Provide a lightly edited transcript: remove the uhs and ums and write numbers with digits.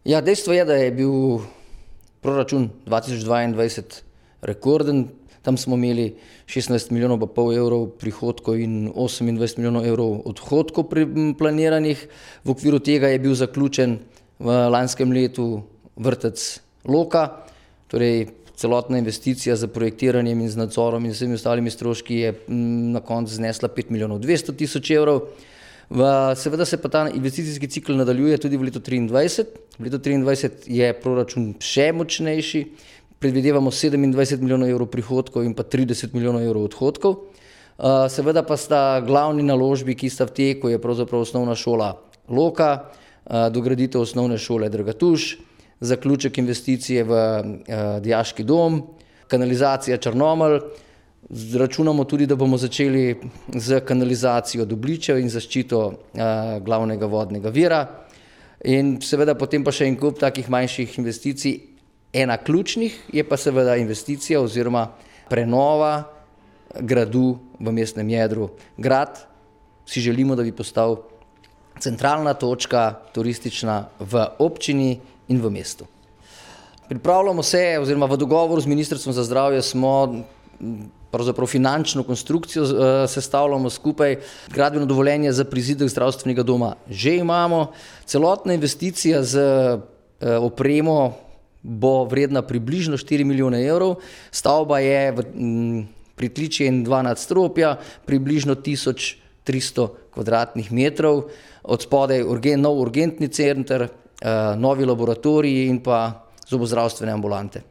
Ja, dejstvo je, da je bil proračun 2022 rekorden. Tam smo imeli 16,5 milijonov evrov prihodkov in 28 milijonov evrov odhodkov planiranih. V okviru tega je bil zaključen v lanskem letu vrtec Loka, torej celotna investicija z projektiranjem in z nadzorom in vsemi ostalimi stroški je na koncu znesla 5 milijonov 200 tisoč evrov. Seveda se pa ta investicijski cikl nadaljuje tudi v letu 2023. V letu 2023 je proračun še močnejši, predvidevamo 27 milijonov evrov prihodkov in pa 30 milijonov evrov odhodkov. Seveda pa sta glavni naložbi, ki sta v teku, je pravzaprav osnovna šola Loka, dograditev osnovne šole Dragatuš, zaključek investicije v dijaški dom, kanalizacija Črnomelj. Računamo tudi, da bomo začeli z kanalizacijo Dobličev in zaščito glavnega vodnega vira. In seveda potem pa še en kup takih manjših investicij. Ena ključnih je pa seveda investicija oziroma prenova gradu v mestnem jedru. Grad si želimo, da bi postal centralna točka turistična v občini in v mestu. Pripravljamo se, oziroma v dogovoru z Ministrstvom za zdravje smo pravzaprav finančno konstrukcijo sestavljamo skupaj. Gradbeno dovoljenje za prizidek zdravstvenega doma že imamo. Celotna investicija z opremo bo vredna približno 4 milijone evrov. Stavba je pritličje in 2 nadstropja, približno 1300 kvadratnih metrov. Od spodaj nov urgentni center, novi laboratoriji in pa zobozdravstvene ambulante.